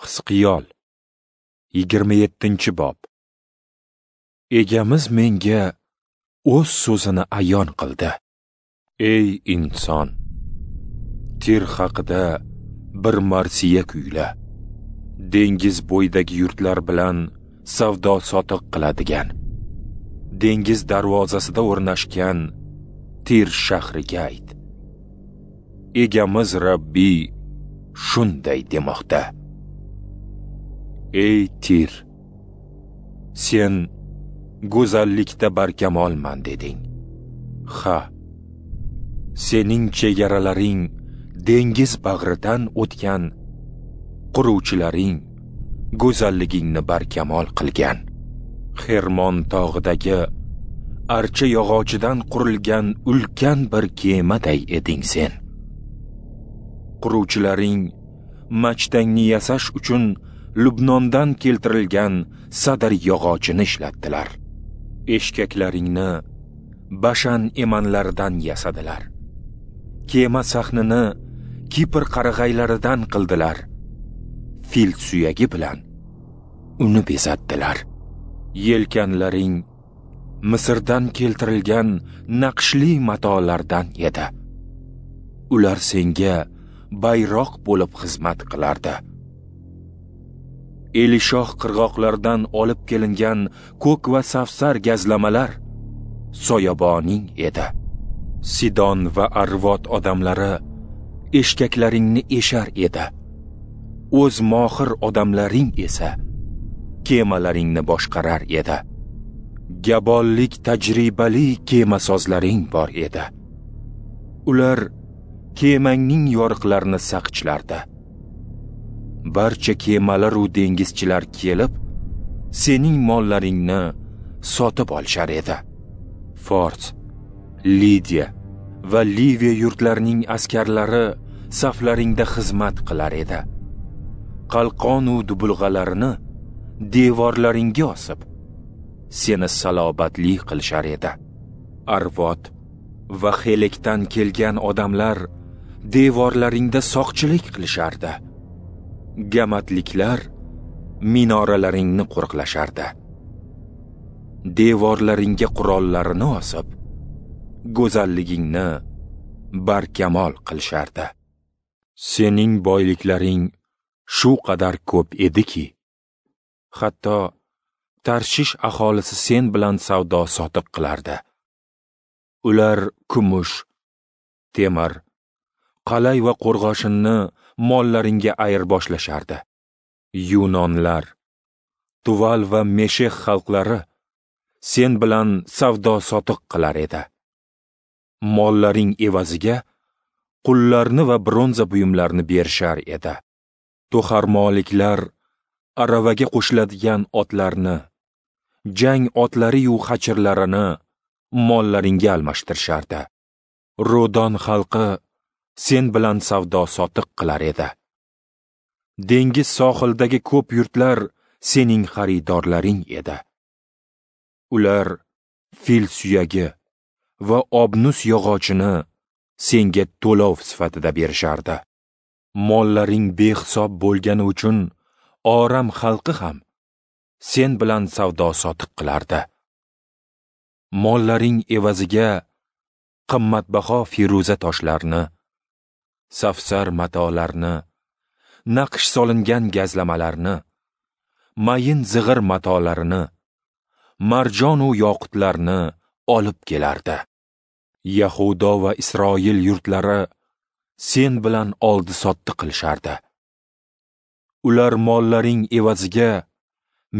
Hizqiyol 27-bob. Egamiz menga o'z so'zini ayon qildi. Ey inson, Tir haqida bir marsiya kuyla. Dengiz bo'yidagi yurtlar bilan savdo sotiq qiladigan, dengiz darvozasida o'rnashgan Tir shahriga ayt. Egamiz Rabbiy shunday demoqda: Ey Tir, sen go'zallikda barkamolman deding. Ha, sening chegaralaring dengiz bag'ridan o'tgan, quruvchilaring go'zalligingni barkamol qilgan. Xermon tog'idagi archa yog'ochidan qurilgan ulkan bir kemaday eding sen. Quruvchilaring machtangni yasash uchun Lubnondan keltirilgan sadr yog'ochini ishlatdilar. Eshkaklaringni Bashan emanlaridan yasadilar. Kema sahnini Kipr qarag'aylaridan qildilar. Fil suyagi bilan uni bezatdilar. Yelkanlaring Misrdan keltirilgan naqshli matolardan edi. Ular senga bayroq bo'lib xizmat qilardi. Elishoh qirg'oqlaridan olib kelingan ko'k va safsar gazlamalar soyaboning edi. Sidon va Arvod odamlari eshkaklaringni eshar edi. O'z mohir odamlaring esa kemalaringni boshqarar edi. Gabollik tajribali kemasozlaring bor edi. Ular kemangning yoriqlarini saqchlardi. Barcha kemalar u dengizchilar kelib, sening mollaringni sotib olishar edi. Fors, Lidiya va Liviya yurtlarining askarlari saflaringda xizmat qilar edi. Qalqon u dubulg'alarini devorlaringga osib, seni salobatli qilishar edi. Arvod va Xelekdan kelgan odamlar devorlaringda soqchilik qilishardi. Gamatliklar minoralaringni qo'riqlashardi. Devorlaringga qurollarini osib, go'zalligingni barkamol qilishardi. Sening boyliklaring shu qadar ko'p ediki, hatto Tarshish aholisi sen bilan savdo sotiq qilardi. Ular kumush, temir, qalay va qo'rg'oshinni mollaringga ayirboslashardi. Yunonlar, Tuval va Meshex xalqlari sen bilan savdo sotiq qilar edi. Mollaring evaziga qullarni va bronza buyumlarini berishar edi. To'xarmoliklar aravaga qo'shiladigan otlarni, jang otlari-yu xachirlarini mollaringga almashtirishardi. Rodon xalqi sen bilan savdo sotiq qilar edi. Dengiz sohilidagi ko'p yurtlar sening xaridorlaring edi. Ular fil suyagi va obnus yog'ochini senga to'lov sifatida berishardi. Mollaring behisob bo'lgani uchun Oram xalqi ham sen bilan savdo sotiq qilardi. Mollaring evaziga qimmatbaho feruza toshlarni, safsar matolarni, naqsh solingan gazlamalarni, mayin zig'ir matolarini, marjon u yoqutlarni olib kelardi. Yahudo va Isroil yurtlari sen bilan oldi-sotdi qilishardi. Ular mollaring evaziga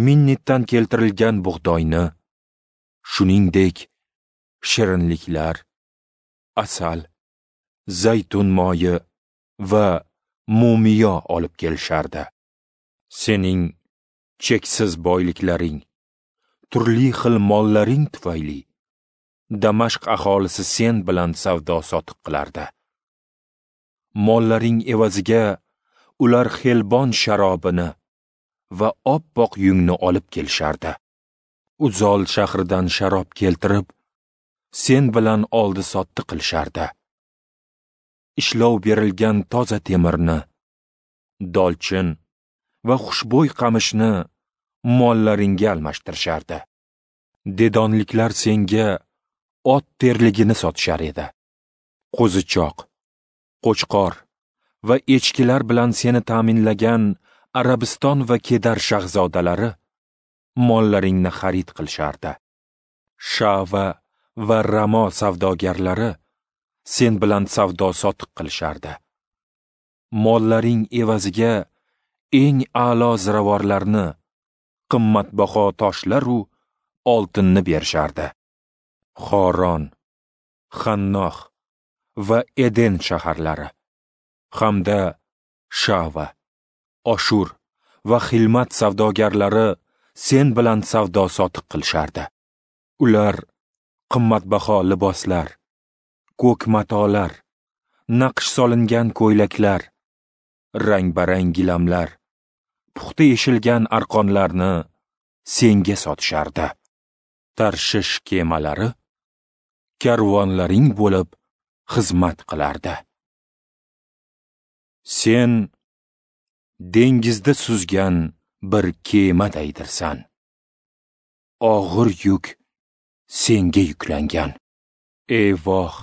Minnitdan keltirilgan bug'doyni, shuningdek shirinliklar, asal, zaytun moyi va mumiyo olib kelishardi. Sening cheksiz boyliklaring, turli xil mollaring tufayli Damashq aholisi sen bilan savdo sotiq qilardi. Mollaring evaziga ular Xelbon sharobini va oppoq yungni olib kelishardi. Uzol shahridan sharob keltirib, sen bilan oldi-sotdi qilishardi. Ishlov berilgan toza temirni, dolchin va xushbo'y qamishni mollaringga almashtirishardi. Dedonliklar senga ot terligini sotishar edi. Qo'zichoq, qo'chqor va echkilar bilan seni ta'minlagan Arabiston va Kedar shahzodalari mollaringni xarid qilishardi. Shava va Ramo savdogarlari sen bilan savdo sotiq qilishardi. Mollaring evaziga eng a'lo ziravorlarni, qimmatbaho toshlar u oltinni berishardi. Xoron, Xannoh va Eden shaharlari hamda Shava, Oshur va Xilmat savdogarlari sen bilan savdo sotiq qilishardi. Ular qimmatbaho liboslar, ko'k matolar, naqsh solingan ko'ylaklar, rang-barang gilamlar, puxta eshilgan arqonlarni senga sotishardi. Tarshish kemalari karvonlaring bo'lib xizmat qilardi. Sen dengizda suzgan bir kemadaydirsan. Og'ir yuk senga yuklangan. Ey voh,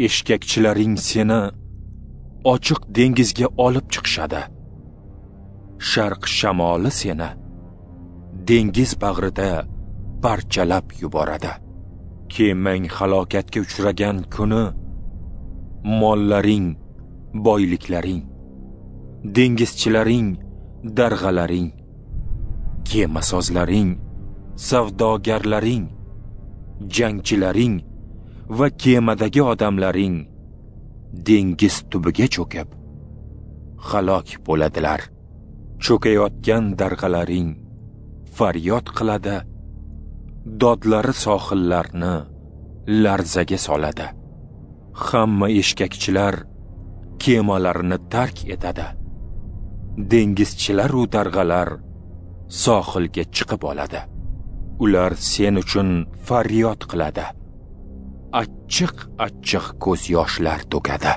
eshkakchilaring seni ochiq dengizga olib chiqishadi. Sharq shamoli seni dengiz bag'rida parchalab yuboradi. Kemang halokatga uchragan kuni mollaring, boyliklaring, dengizchilaring, darg'alaring, kemasozlaring, savdogarlaring, jangchilaring va kemadagi odamlaring dengiz tubiga cho'kib halok bo'ladilar. Cho'kayotgan darg'alaring faryod qiladi, dodlari sohillarni larzaga soladi. Hamma eshkakchilar kemalarini tark etadi. Dengizchilar u darg'alar sohilga chiqib oladi. Ular sen uchun faryod qiladi. Achchiq-achchiq ko'z yoshlar to'kadi.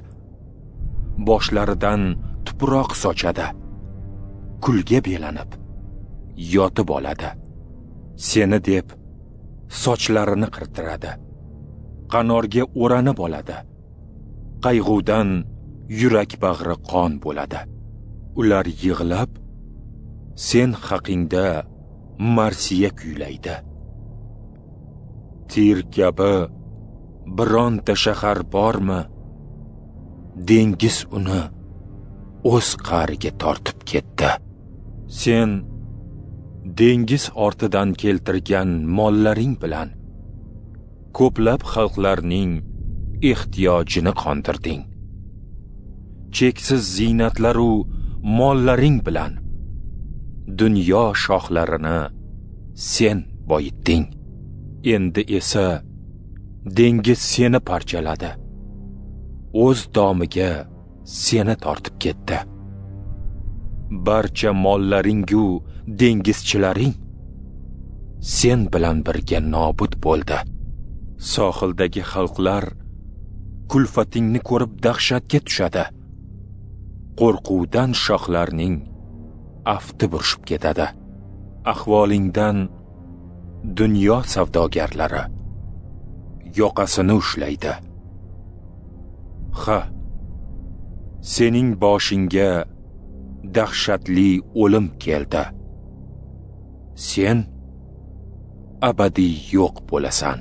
Boshlaridan tuproq sochadi. Kulga belanib yotib oladi. Seni deb sochlarini qirtiradi. Qanorga o'ranib oladi. Qayg'udan yurak bag'ri qon bo'ladi. Ular yig'lab sen haqingda marsiya kuylaydi. Tir kabi bironta shahar bormi? Dengiz uni o'z qa'riga tortib ketdi. Sen dengiz ortidan keltirgan mollaring bilan ko'plab xalqlarning ehtiyojini qondirding. Cheksiz ziynatlar u mollaring bilan dunyo shohlarini sen boyitding. Endi esa dengiz seni parchaladi. O'z domiga seni tortib ketdi. Barcha mollaring-u dengizchilaring sen bilan birga nobud bo'ldi. Sohildagi xalqlar kulfatingni ko'rib dahshatga tushadi. Qo'rquvdan shohlarning afti burishib ketadi. Ahvolingdan dunyo savdogarlari yoqasini ushlaydi. Ha, sening boshingga dahshatli o'lim keldi. Sen abadiy yo'q bo'lasan.